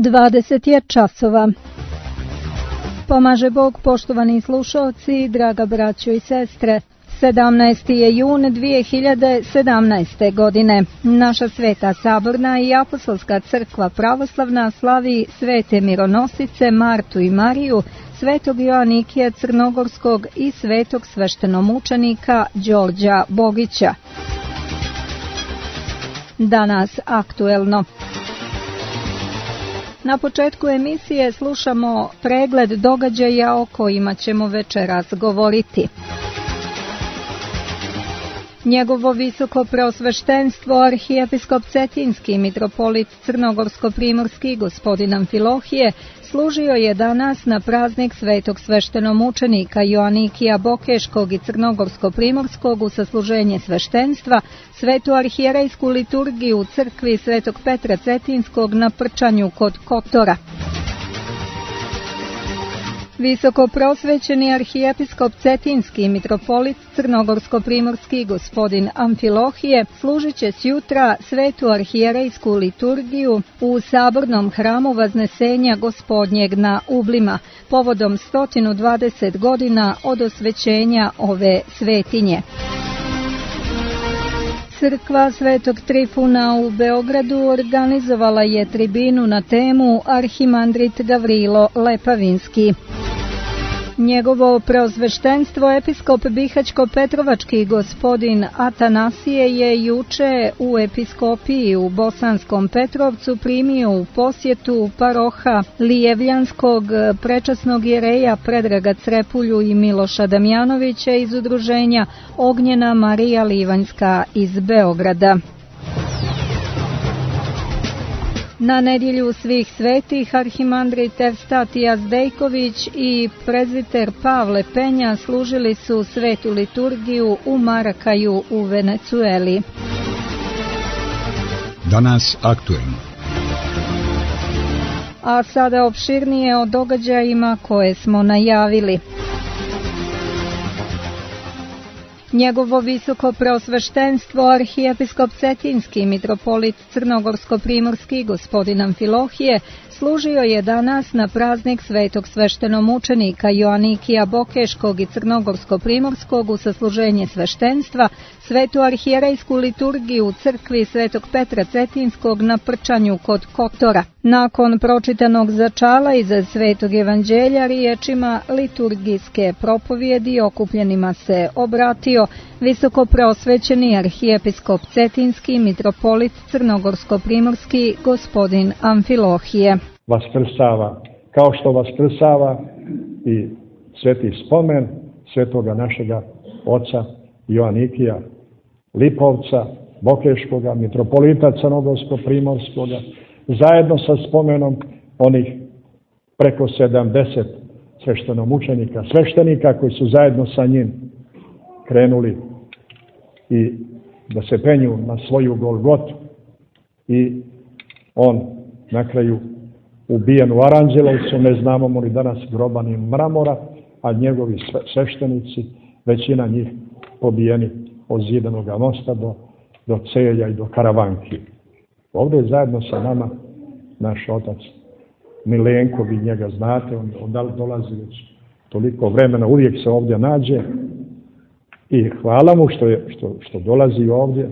20 je časova. Pomaže Bog, poštovani slušalci, draga braćo i sestre. 17. je jun 2017. godine. Naša Sveta Saborna i Apostolska crkva pravoslavna slavi svete mironosice Martu i Mariju, svetog Joanikija Crnogorskog i svetog sveštenomučenika Đorđa Bogića. Danas aktuelno. Na početku emisije slušamo pregled događaja o kojima ćemo večeras govoriti. Njegovo visoko preosveštenstvo arhijepiskop Cetinski mitropolit Crnogorsko-primorski gospodin Amfilohije služio je danas na praznik svetog sveštenomučenika Joanikija Bokeškog i Crnogorsko-primorskog u sasluženje sveštenstva, svetu arhijerejsku liturgiju u crkvi svetog Petra Cetinskog na Prčanju kod Kotora. Visoko prosvećeni arhijepiskop Cetinski mitropolit Crnogorsko-primorski gospodin Amfilohije služit će sjutra svetu arhijerejsku liturgiju u sabornom hramu Vaznesenja Gospodnjeg na Ublima, povodom 120 godina od osvećenja ove svetinje. Crkva Svetog Trifuna u Beogradu organizovala je tribinu na temu Arhimandrit Gavrilo Lepavinski. Njegovo preosveštenstvo episkop Bihaćko-Petrovački gospodin Atanasije je juče u episkopiji u Bosanskom Petrovcu primio u posjetu paroha Lijevljanskog prečasnog jereja Predraga Crepulju i Miloša Damjanovića iz udruženja Ognjena Marija Livanjska iz Beograda. Na nedjelju svih svetih arhimandrit Evstatija Zdejković i prezbiter Pavle Penja služili su svetu liturgiju u Marakaju u Venecueli. Danas aktuelno. A sada opširnije o događajima koje smo najavili. Njegovo visoko preosveštenstvo arhijepiskop Cetinski mitropolit Crnogorsko-primorski gospodin Amfilohije služio je danas na praznik svetog sveštenomučenika Joanikija Bokeškog i Crnogorsko-primorskog u sasluženje sveštenstva, svetu arhijerejsku liturgiju u crkvi svetog Petra Cetinskog na Prčanju kod Kotora. Nakon pročitanog začala iz svetog evanđelja riječima liturgijske propovjedi okupljenima se obratio visoko preosvećeni arhijepiskop Cetinski mitropolit Crnogorsko-primorski gospodin Amfilohije. Vaskrsava, kao što vaskrsava i sveti spomen svetoga našega oca Joanikija Lipovca, Bokeškoga, mitropolita Crnogorsko-primorskoga, zajedno sa spomenom onih preko 70 sveštenomučenika, sveštenika koji su zajedno sa njim krenuli i da se penju na svoju Golgotu i on na kraju ubijen u Aranđelovcu, ne znamo mu li danas groban i mramora, a njegovi sveštenici, većina njih pobijeni od Zidanog mosta do Celja i do Karavanki. Ovdje je zajedno sa nama naš otac Milenko, vi njega znate, on dolazi već toliko vremena, uvijek se ovdje nađe i hvala mu što dolazi ovdje,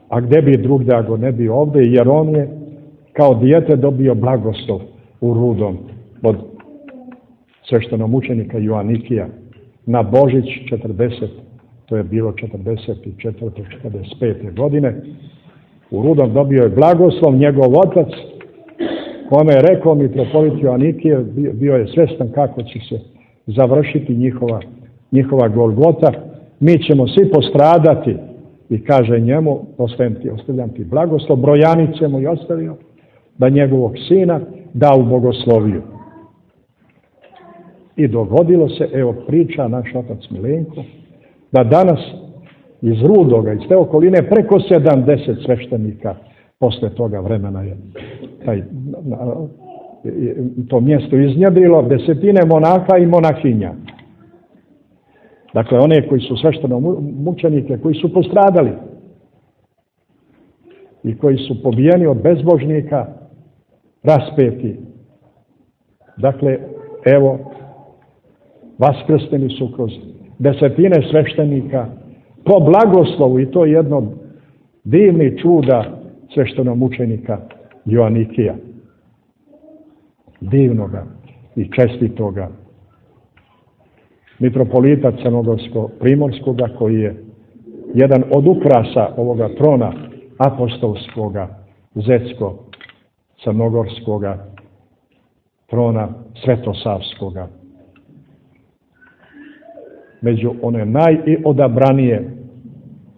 a gdje bi drugdje ako ne bi ovdje, jer on je kao dijete dobio blagoslov u Rudom od sveštenomučenika Joanikija na Božić 40, to je bilo 44. 45. godine. U Rudom dobio je blagoslov njegov otac, kome je rekao mitropolit Joanikije, bio je svjestan kako će se završiti njihova Golgota. Mi ćemo svi postradati i kaže njemu, ostavljam ti blagoslov, brojanice mu je ostavio da njegovog sina da u bogosloviju. I dogodilo se, evo priča naš otac Milenko, da danas iz Rudoga, iz te okoline, preko 70 sveštenika posle toga vremena je to mjesto iznjedrilo, desetine monaha i monahinja. Dakle, one koji su sveštenomučenike, koji su postradali i koji su pobijeni od bezbožnika, raspeti. Dakle, evo, vaskrsteni su kroz desetine sveštenika po blagoslovu, i to je jedno od divnih čuda sveštenomučenika Joanikija. Divnoga i čestitoga mitropolita Crnogorsko-primorskoga, koji je jedan od ukrasa ovoga trona apostolskoga, zetsko-crnogorskoga trona svetosavskoga. Među one najodabranije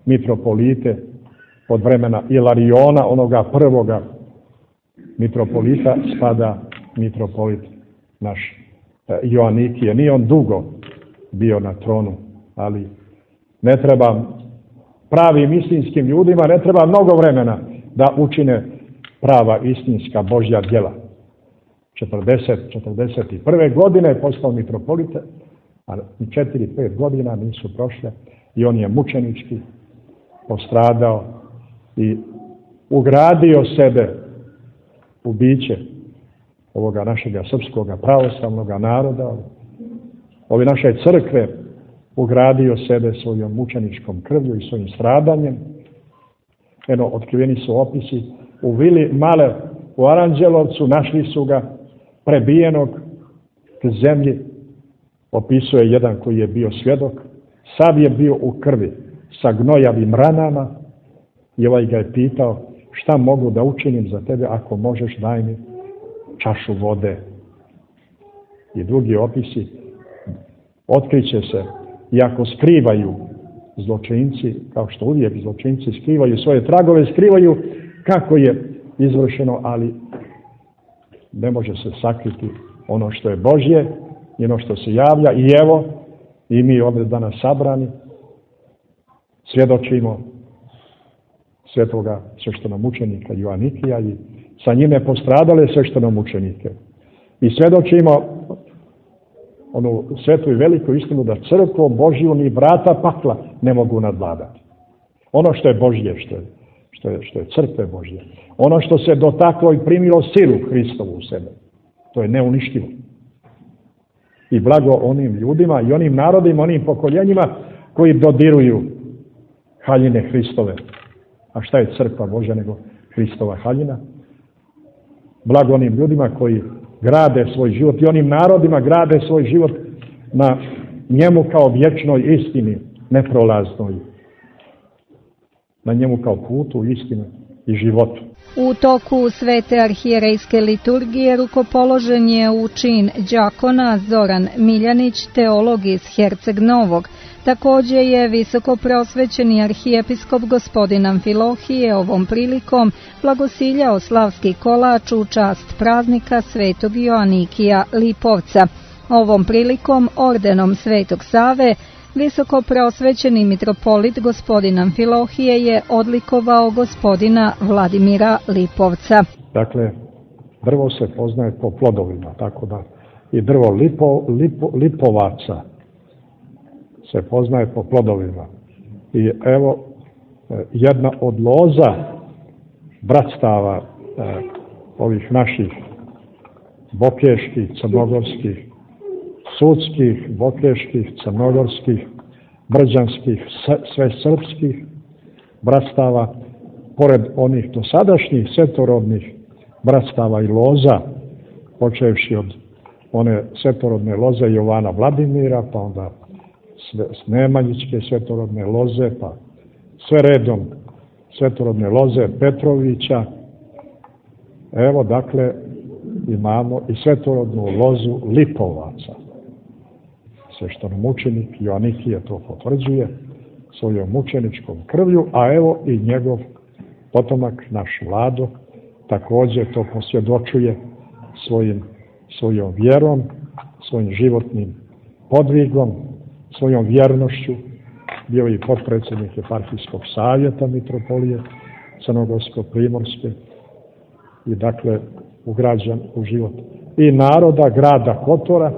mitropolite od vremena Ilariona, onoga prvoga mitropolita, spada mitropolit naš Joanikije. Nije on dugo bio na tronu, ali ne treba pravim istinskim ljudima, ne treba mnogo vremena da učine prava istinska Božja djela. 41. godine je postao mitropolita, a 4-5 godina nisu prošle i on je mučenički postradao i ugradio sebe u biće ovoga našega srpskoga pravoslavnog naroda, ove naše crkve, ugradio sebe svojom mučeničkom krvlju i svojim stradanjem. Eno, otkriveni su opisi u vili Male u Aranđelovcu, našli su ga prebijenog k zemlji. Opisuje jedan koji je bio svjedok, sav je bio u krvi sa gnojavim ranama, i ovaj ga je pitao: šta mogu da učinim za tebe, ako možeš, daj mi čašu vode. I drugi opisi, otkriće se, iako skrivaju zločinci, kao što uvijek zločinci skrivaju svoje tragove, skrivaju kako je izvršeno, ali ne može se sakriti ono što je Božje i ono što se javlja. I evo, i mi ovdje danas sabrani svjedočimo svetoga sveštenomučenika Joanikija i sa njime postradale sveštenomučenike. I svjedočimo onu svetu i veliku istinu da crkvu Božju ni vrata pakla ne mogu nadvladati. Ono što je Božje, što je crkve Božje, ono što se dotaklo i primilo silu Hristovu u sebe, to je neuništivo. I blago onim ljudima i onim narodima, onim pokoljenjima koji dodiruju haljine Hristove. A šta je crkva Božja nego Hristova haljina? Blago onim ljudima koji grade svoj život i onim narodima grade svoj život na njemu kao vječnoj istini, neprolaznoj. Na njemu kao putu, istinu i životu. U toku svete arhijerejske liturgije rukopoložen je u čin đakona Zoran Miljanić, teolog iz Herceg Novog. Također je visoko prosvećeni arhijepiskop gospodin Amfilohije ovom prilikom blagosiljao slavski kolač u čast praznika svetog Joanikija Lipovca. Ovom prilikom ordenom Svetog Save visoko prosvećeni mitropolit gospodin Amfilohije je odlikovao gospodina Vladimira Lipovca. Dakle, drvo se poznaje po plodovima, tako da i drvo lipovaca se poznaje po plodovima. I evo, jedna od loza bratstava ovih naših bokeških, crnogorskih, sudskih, bokeških, crnogorskih, brđanskih, sve srpskih bratstava, pored onih dosadašnjih svetorodnih bratstava i loza, počevši od one svetorodne loze Jovana Vladimira, pa onda Nemanjićke svetorodne loze, pa sve redom svetorodne loze Petrovića. Evo, dakle, imamo i svetorodnu lozu Lipovaca. Sveštenomučenik Joanikije to potvrđuje svojom mučeničkom krvlju, a evo i njegov potomak, naš Vlado, također to posvjedočuje svojom vjerom, svojim životnim podvigom, svojom vjernošću. Bio i potpredsjednik Eparhijskog savjeta mitropolije Crnogorsko-primorske i dakle ugrađen u život i naroda grada Kotora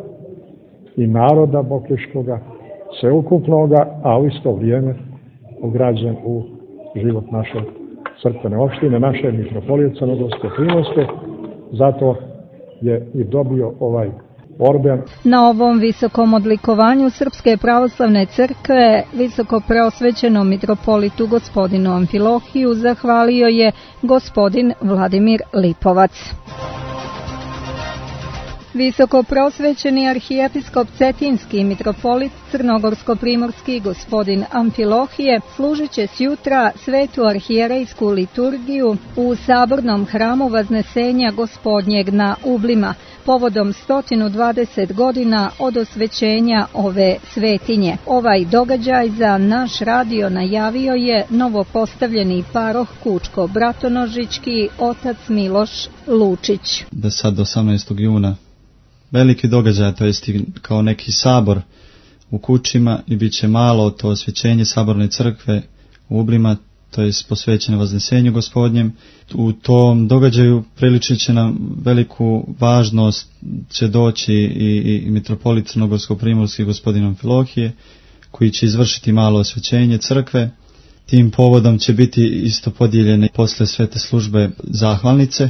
i naroda Bokeškoga, sveukupnoga, a u isto vrijeme ugrađen u život naše crkvene opštine, naše mitropolije Crnogorsko-primorske zato je i dobio ovaj orden. Na ovom visokom odlikovanju Srpske pravoslavne crkve visoko preosvećenom mitropolitu gospodinu Amfilohiju zahvalio je gospodin Vladimir Lipovac. Visoko prosvećeni arhijepiskop Cetinski mitropolit Crnogorsko-primorski gospodin Amfilohije služit će sjutra svetu arhijerejsku liturgiju u sabornom hramu Vaznesenja Gospodnjeg na Ublima, povodom 120 godina od osvećenja ove svetinje. Ovaj događaj za naš radio najavio je novopostavljeni paroh Kučko-Bratonožički otac Miloš Lučić. Da sad 18. juna veliki događaj, to jest kao neki sabor u Kučima i bit će malo to osvećenje saborne crkve u Ublima, to jest posvećeno Vaznesenju Gospodnjem. U tom događaju priličit će nam veliku važnost će doći i mitropolit Crnogorsko-primorski gospodin Amfilohije, koji će izvršiti malo osvećenje crkve. Tim povodom će biti isto podijeljene posle svete službe zahvalnice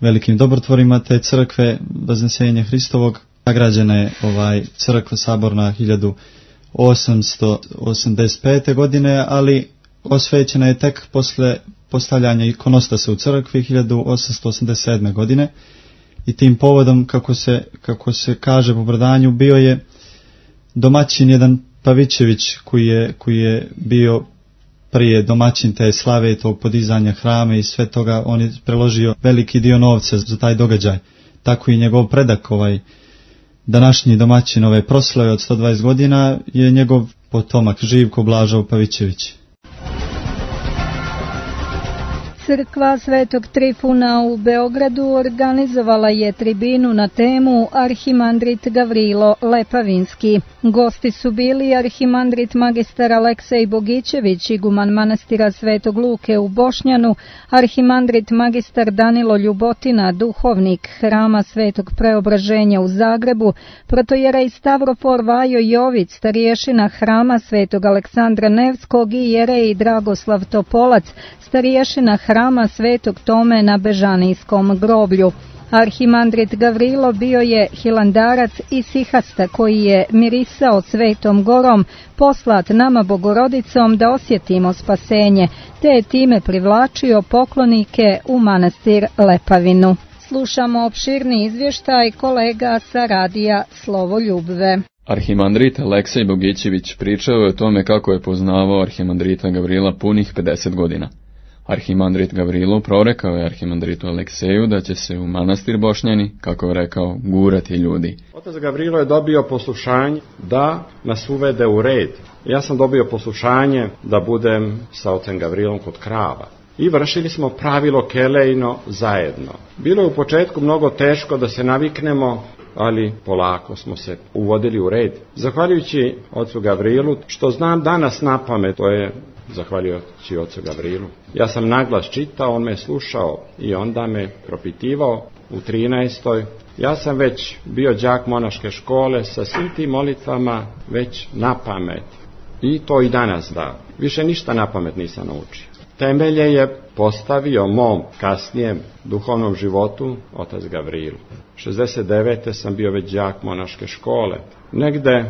velikim dobrotvorima te crkve Vaznesenja Hristovog. Nagrađena je crkva saborna 1885. godine, ali osvećena je tek posle postavljanja ikonostasa u crkvi 1887. godine i tim povodom, kako se kaže po predanju, bio je domaćin jedan Pavićević koji je bio prije domaćin te slave, tog podizanja hrama i sve toga. On je preložio veliki dio novca za taj događaj. Tako i njegov predak, današnji domaćin ove proslave od 120 godina je njegov potomak Živko Blažov Pavićević. Crkva Svetog Trifuna u Beogradu organizovala je tribinu na temu Arhimandrit Gavrilo Lepavinski. Gosti su bili arhimandrit magistar Aleksej Bogićević, iguman manastira Svetog Luke u Bošnjanu, arhimandrit magistar Danilo Ljubotina, duhovnik hrama Svetog Preobraženja u Zagrebu, protojerej Stavrofor Vajo Jović, starješina hrama Svetog Aleksandra Nevskog i jerej Dragoslav Topolac, starješina hrama Svetog Tome na Bežanijskom groblju. Arhimandrit Gavrilo bio je hilandarac i sihasta koji je mirisao Svetom Gorom, poslat nama Bogorodicom da osjetimo spasenje, te je time privlačio poklonike u manastir Lepavinu. Slušamo opširni izvještaj kolega sa radija Slovo Ljubve. Arhimandrit Aleksej Bogićević pričao je o tome kako je poznavao arhimandrita Gavrila punih 50 godina. Arhimandrit Gavrilo prorekao je arhimandritu Alekseju da će se u manastir Bošnjani, kako je rekao, gurati ljudi. Otac Gavrilo je dobio poslušanje da nas uvede u red. Ja sam dobio poslušanje da budem sa ocem Gavrilom kod krava. I vršili smo pravilo kelejno zajedno. Bilo je u početku mnogo teško da se naviknemo, ali polako smo se uvodili u red. Zahvaljujući ocu Gavrilu, što znam danas na pamet, to je zahvaljujući ocu Gavrilu. Ja sam naglas čitao, on me slušao i onda me propitivao u 13. Ja sam već bio đak monaške škole sa svim tim molitvama već na pamet. I to i danas da. Više ništa na pamet nisam naučio. Temelje je postavio mom kasnijem duhovnom životu otac Gavrilu. 69. sam bio već đak monaške škole. Negde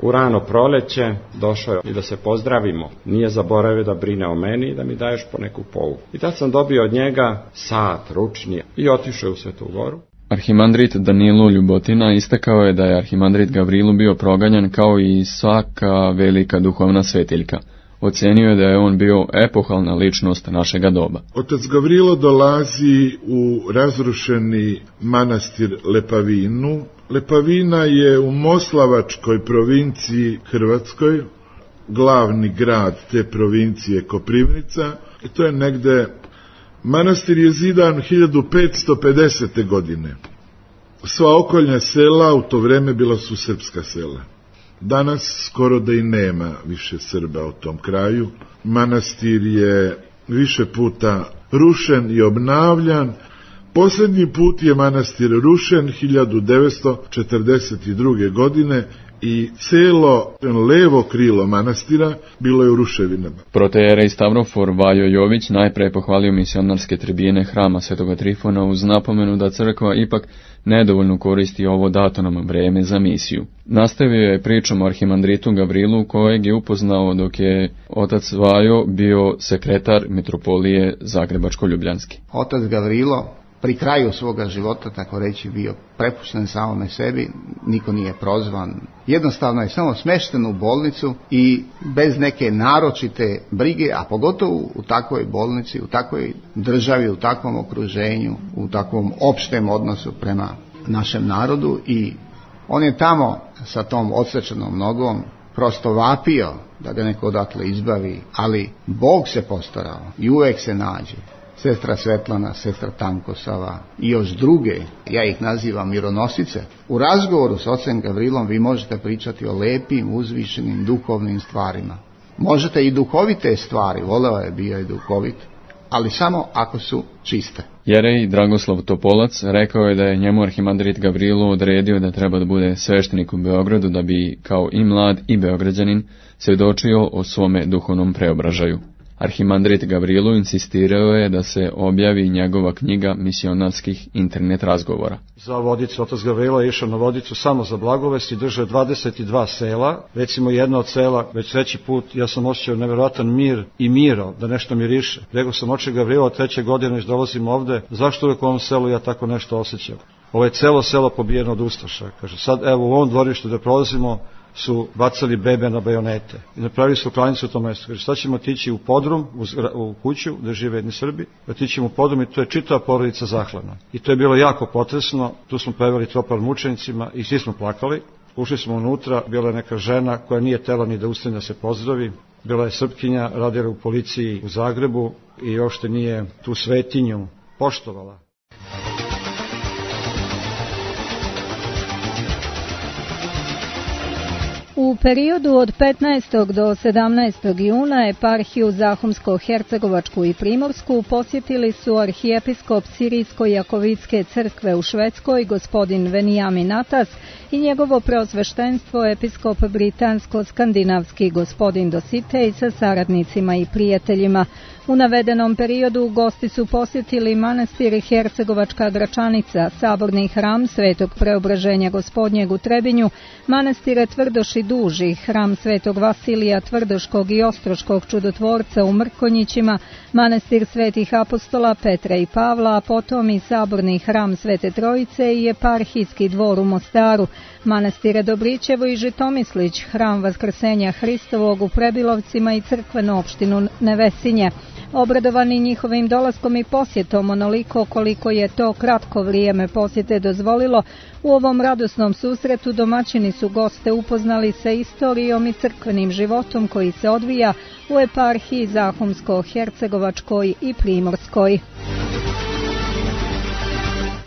u rano proleće došao je i da se pozdravimo. Nije zaboravio da brine o meni i da mi daješ po neku pouku. I tad sam dobio od njega sat ručni i otišao u Svetu Goru. Arhimandrit Danilo Ljubotina istakao je da je arhimandrit Gavrilu bio proganjan kao i svaka velika duhovna svetiljka. Ocenio je da je on bio epohalna ličnost našega doba. Otac Gavrilo dolazi u razrušeni manastir Lepavinu. Lepavina je u Moslavačkoj provinciji Hrvatskoj, glavni grad te provincije Koprivnica. I to je negde, manastir je zidan 1550. godine. Sva okoljna sela u to vreme bila su srpska sela. Danas skoro da i nema više Srba u tom kraju. Manastir je više puta rušen i obnavljan. Posljednji put je manastir rušen 1942. godine i celo levo krilo manastira bilo je u ruševinama. Protoijerej Stavrofor Vajo Jović najpre pohvalio misionarske tribine hrama Svetoga Trifona uz napomenu da crkva ipak nedovoljno koristi ovo dato nam vreme za misiju. Nastavio je pričom o arhimandritu Gavrilu, kojeg je upoznao dok je otac Vajo bio sekretar mitropolije Zagrebačko-Ljubljanski. Otac Gavrilo pri kraju svoga života, tako reći, bio prepušten samome sebi, niko nije prozvan. Jednostavno je samo smješten u bolnicu i bez neke naročite brige, a pogotovo u takvoj bolnici, u takvoj državi, u takvom okruženju, u takvom opštem odnosu prema našem narodu, i on je tamo sa tom odsečenom nogom prosto vapio da ga neko odatle izbavi, ali Bog se postarao i uvek se nađe. Sestra Svetlana, sestra Tankosava i još druge, ja ih nazivam mironosice. U razgovoru s ocem Gavrilom vi možete pričati o lepim, uzvišenim, duhovnim stvarima. Možete i duhovite stvari, voleo je, bio i duhovit, ali samo ako su čiste. Jerej Dragoslav Topolac rekao je da je njemu arhimandrit Gavrilo odredio da treba da bude sveštenik u Beogradu da bi, kao i mlad i beograđanin, svjedočio o svome duhovnom preobražaju. Arhimandrit Gavrilo insistirao je da se objavi njegova knjiga misionarskih internet razgovora. Za Vodicu, otac Gavrilo je išao na Vodicu samo za blagovest i držao 22 sela. Recimo jedno od sela, već treći put, ja sam osjećao nevjerojatan mir i miro, da nešto miriše. Rekao sam, oče Gavrilo, 3. godine već dolazim ovde, zašto uvijek u ovom selu ja tako nešto osjećam? Ovo je celo selo pobijeno od ustaša. Kaže, sad evo u ovom dvorištu da prolazimo su bacali bebe na bajonete i napravili su klanicu u tom mjestu. Kaže, sad ćemo otići u podrum, u kuću gdje žive jedni Srbi, otići u podrum i to je čitava porodica zaklana. I to je bilo jako potresno, tu smo preveli tropar mučenicima i svi smo plakali. Ušli smo unutra, bila je neka žena koja nije tela ni da ustane da se pozdravi, bila je Srpkinja, radila u policiji u Zagrebu i uopšte nije tu svetinju poštovala. U periodu od 15. do 17. juna eparhiju Zahumsko-Hercegovačku i Primorsku posjetili su arhijepiskop Sirijsko-Jakovitske crkve u Švedskoj gospodin Venijamin Atas i njegovo preosveštenstvo episkop Britansko-Skandinavski gospodin Dositej sa saradnicima i prijateljima. U navedenom periodu gosti su posjetili manastir Hercegovačka Gračanica, saborni hram Svetog Preobraženja Gospodnjeg u Trebinju, manastire Tvrdoš i Duži, hram Svetog Vasilija Tvrdoškog i Ostroškog čudotvorca u Mrkonjićima, manastir Svetih apostola Petra i Pavla, a potom i saborni hram Svete Trojice i eparhijski dvor u Mostaru, manastire Dobrićevo i Žitomislić, hram Vaskrsenja Hristovog u Prebilovcima i crkvenu opštinu Nevesinje. Obradovani njihovim dolaskom i posjetom onoliko koliko je to kratko vrijeme posjete dozvolilo, u ovom radosnom susretu domaćini su goste upoznali sa istorijom i crkvenim životom koji se odvija u eparhiji Zahumsko-Hercegovačkoj i Primorskoj.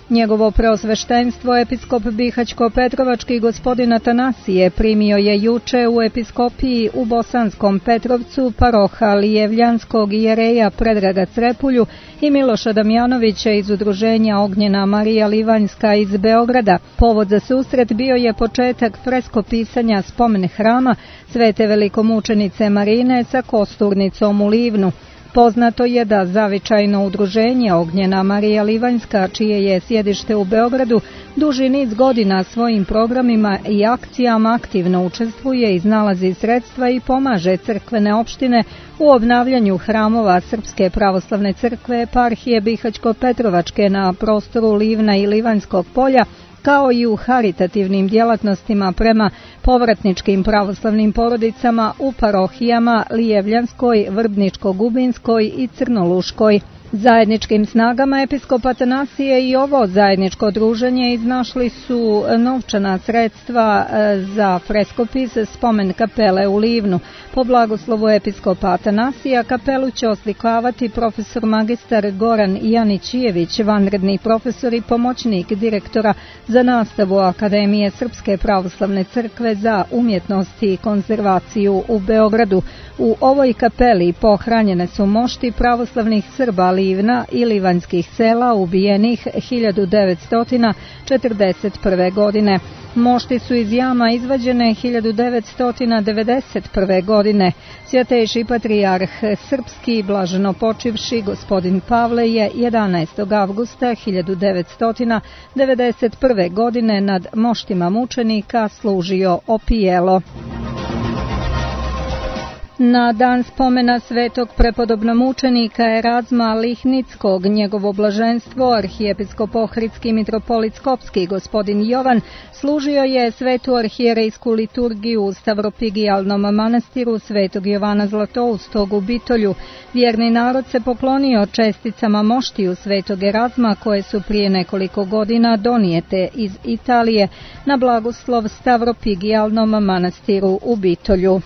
Njegovo preosveštenstvo episkop Bihać-Petrovački gospodin Atanasije primio je juče u episkopiji u Bosanskom Petrovcu paroha Lijevljanskog jereja Predraga Crepulju i Miloša Damjanovića iz udruženja Ognjena Marija Livanjska iz Beograda. Povod za susret bio je početak freskopisanja spomen hrama Svete velikomučenice Marine sa kosturnicom u Livnu. Poznato je da zavičajno udruženje Ognjena Marija Livanjska, čije je sjedište u Beogradu, duži niz godina svojim programima i akcijama aktivno učestvuje, iznalazi sredstva i pomaže crkvene opštine u obnavljanju hramova Srpske pravoslavne crkve eparhije Bihać-Petrovačke na prostoru Livna i Livanjskog polja, kao i u haritativnim djelatnostima prema povratničkim pravoslavnim porodicama u parohijama Lijevljanskoj, Vrbničko-Gubinskoj i Crnoluškoj. Zajedničkim snagama episkop Atanasije i ovo zajedničko druženje iznašli su novčana sredstva za freskopis spomen kapele u Livnu. Po blagoslovu episkopa Atanasija kapelu će oslikavati profesor magistar Goran Janićijević, vanredni profesor i pomoćnik direktora za nastavu Akademije Srpske pravoslavne crkve za umjetnost i konzervaciju u Beogradu. U ovoj kapeli pohranjene su mošti pravoslavnih Srba Livna i livanjskih sela ubijenih 1941. godine. Mošti su iz jama izvađene 1991. godine. Svjatejši patrijarh srpski, blaženo počivši, gospodin Pavle je 11. avgusta 1991. godine nad moštima mučenika služio opijelo. Na dan spomena svetog prepodobnomučenika Erazma Lihnickog, njegovo blaženstvo, arhijepiskop Ohridski mitropolit Skopski, gospodin Jovan, služio je svetu arhijerejsku liturgiju u Stavropigijalnom manastiru svetog Jovana Zlatoustog u Bitolju. Vjerni narod se poklonio česticama moštiju svetog Erazma koje su prije nekoliko godina donijete iz Italije na blagoslov Stavropigijalnom manastiru u Bitolju.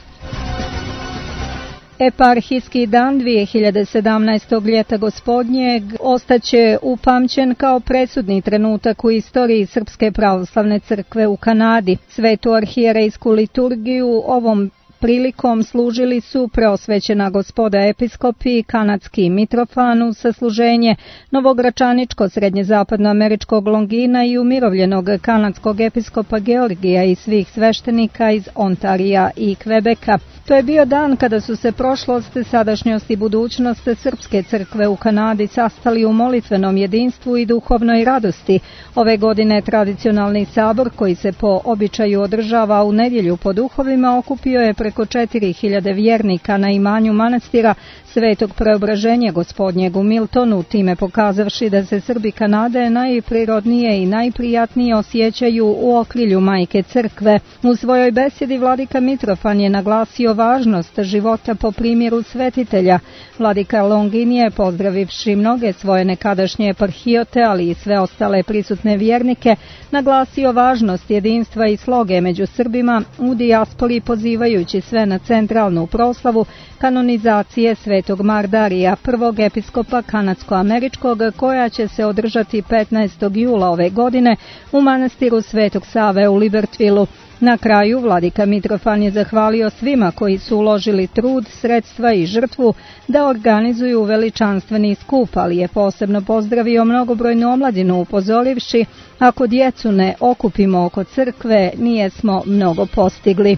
Eparhijski dan 2017. ljeta gospodnjeg ostaće upamćen kao presudni trenutak u istoriji Srpske pravoslavne crkve u Kanadi. Svetu arhijerejsku liturgiju ovom prilikom služili su preosvećena gospoda episkopi, kanadski Mitrofan uz sasluženje, novogračaničko srednjezapadnoameričkog Longina i umirovljenog kanadskog episkopa Georgija i svih sveštenika iz Ontarija i Kvebeka. To je bio dan kada su se prošlost, sadašnjost i budućnost Srpske crkve u Kanadi sastali u molitvenom jedinstvu i duhovnoj radosti. Ove godine tradicionalni sabor, koji se po običaju održava u nedjelju po duhovima, okupio je preko 4000 vjernika na imanju manastira Svetog Preobraženja gospodnjeg u Miltonu, time pokazavši da se Srbi Kanade najprirodnije i najprijatnije osjećaju u okrilju Majke Crkve. U svojoj besjedi vladika Mitrofan je naglasio važnost života po primjeru svetitelja. Vladika Longin je, pozdravivši mnoge svoje nekadašnje eparhijote, ali i sve ostale prisutne vjernike, naglasio važnost jedinstva i sloge među Srbima u dijaspori, pozivajući sve na centralnu proslavu kanonizacije svetog Mardarija, prvog episkopa kanadsko-američkog, koja će se održati 15. jula ove godine u manastiru Svetog Save u Libertvilu. Na kraju vladika Mitrofan je zahvalio svima koji su uložili trud, sredstva i žrtvu da organizuju veličanstveni skup, ali je posebno pozdravio mnogobrojnu omladinu, upozorivši: ako djecu ne okupimo oko crkve, nijesmo mnogo postigli.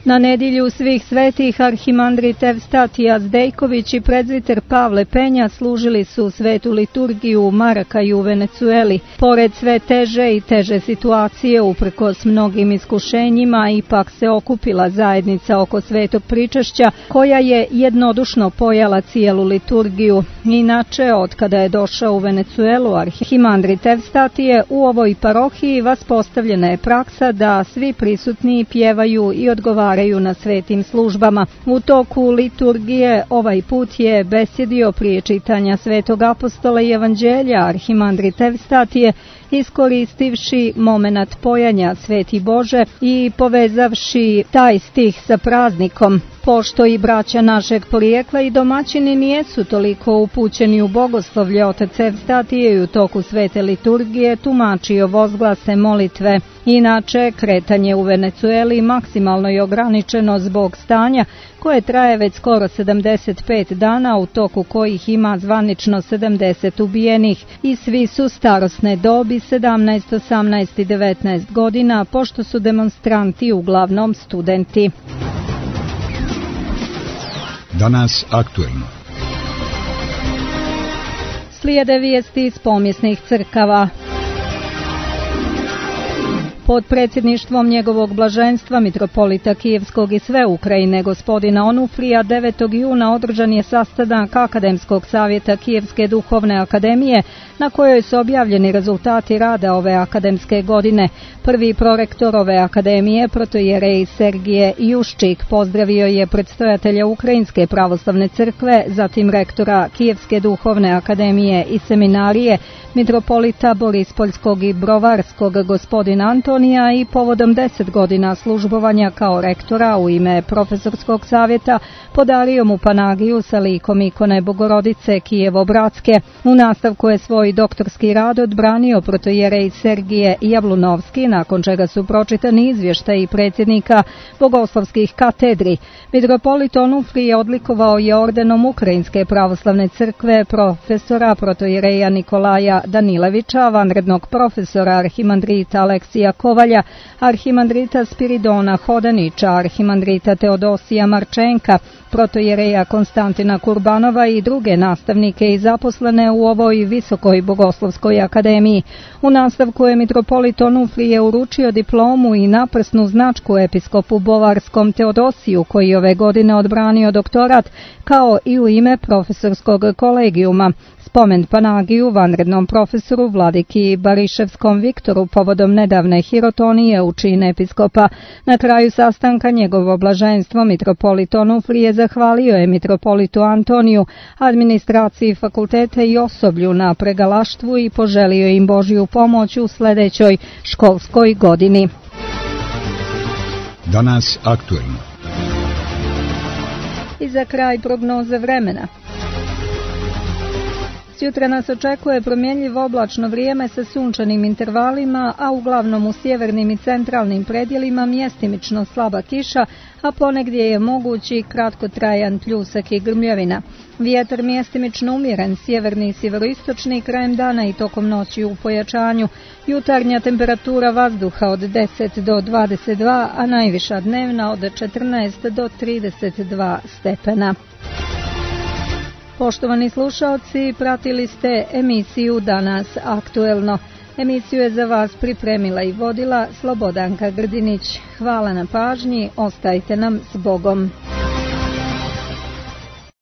Na nedjelju svih svetih arhimandrit Evstatija Zdejković i prezviter Pavle Penja služili su svetu liturgiju u Marakaju u Venecueli. Pored sve teže i teže situacije, uprkos mnogim iskušenjima, ipak se okupila zajednica oko svetog pričašća, koja je jednodušno pojala cijelu liturgiju. Inače, otkada je došao u Venecuelu arhimandrit Evstatije, u ovoj parohiji vaspostavljena je praksa da svi prisutni pjevaju i odgovaraju na svetim službama. U toku liturgije ovaj put je besjedio prije čitanja svetog apostola i evanđelja arhimandrit Evstatije, iskoristivši momenat pojanja Sveti Bože i povezavši taj stih sa praznikom. Pošto i braća našeg porijekla i domaćini nijesu toliko upućeni u bogoslovlje, otac Evstatije i u toku svete liturgije tumačio vozglase molitve. Inače, kretanje u Venecueli maksimalno je ograničeno zbog stanja koje traje već skoro 75 dana, u toku kojih ima zvanično 70 ubijenih i svi su starosne dobi 17, 18 i 19 godina, pošto su demonstranti uglavnom studenti. Danas aktuelno. Slijede vijesti iz pomjesnih crkava. Pod predsjedništvom njegovog blaženstva mitropolita Kijevskog i sve Ukrajine gospodina Onufrija 9. juna održan je sastanak Akademskog savjeta Kijevske duhovne akademije, na kojoj su objavljeni rezultati rada ove akademske godine. Prvi prorektor ove akademije, protoijerej Sergije Juščik, pozdravio je predstojatelja Ukrajinske pravoslavne crkve, zatim rektora Kijevske duhovne akademije i seminarije, mitropolita Borispoljskog i Brovarskog gospodina Antonija, Antonija i povodom 10 godina službovanja kao rektora u ime profesorskog savjeta podario mu Panagiju sa likom ikone Bogorodice Kijevo-Bratske. U nastavku je svoj doktorski rad odbranio protojerej Sergije Javlunovski, nakon čega su pročitani izvještaji predsjednika bogoslovskih katedri. Mitropolit Onufrije odlikovao je ordenom Ukrajinske pravoslavne crkve profesora protojereja Nikolaja Danilevića, vanrednog profesora arhimandrita Aleksija Kovalja, arhimandrita Spiridona Hodanića, arhimandrita Teodosija Marčenka, protojereja Konstantina Kurbanova i druge nastavnike i zaposlene u ovoj visokoj bogoslovskoj akademiji. U nastavku je mitropolit Onufrije uručio diplomu i naprsnu značku episkopu bovarskom Teodosiju, koji ove godine odbranio doktorat, kao i u ime profesorskog kolegijuma. Spomen Panagiju vanrednom profesoru vladiki Bariševskom Viktoru povodom nedavne hirotonije u čin episkopa. Na kraju sastanka njegovo blaženstvo mitropolit Onufrije zahvalio je mitropolitu Antoniju, administraciji fakulteta i osoblju na pregalaštvu i poželio im Božju pomoć u sljedećoj školskoj godini. Danas aktuelno. I za kraj prognoze vremena. Sutra nas očekuje promjenjivo oblačno vrijeme sa sunčanim intervalima, a uglavnom u sjevernim i centralnim predjelima mjestimično slaba kiša, a ponegdje je mogući kratkotrajan pljusak i grmljavina. Vjetar mjestimično umjeren, sjeverni i sjeveroistočni, krajem dana i tokom noći u pojačanju. Jutarnja temperatura vazduha od 10 do 22, a najviša dnevna od 14 do 32 stepena. Poštovani slušalci, pratili ste emisiju Danas aktuelno. Emisiju je za vas pripremila i vodila Slobodanka Grdinić. Hvala na pažnji, ostajte nam s Bogom.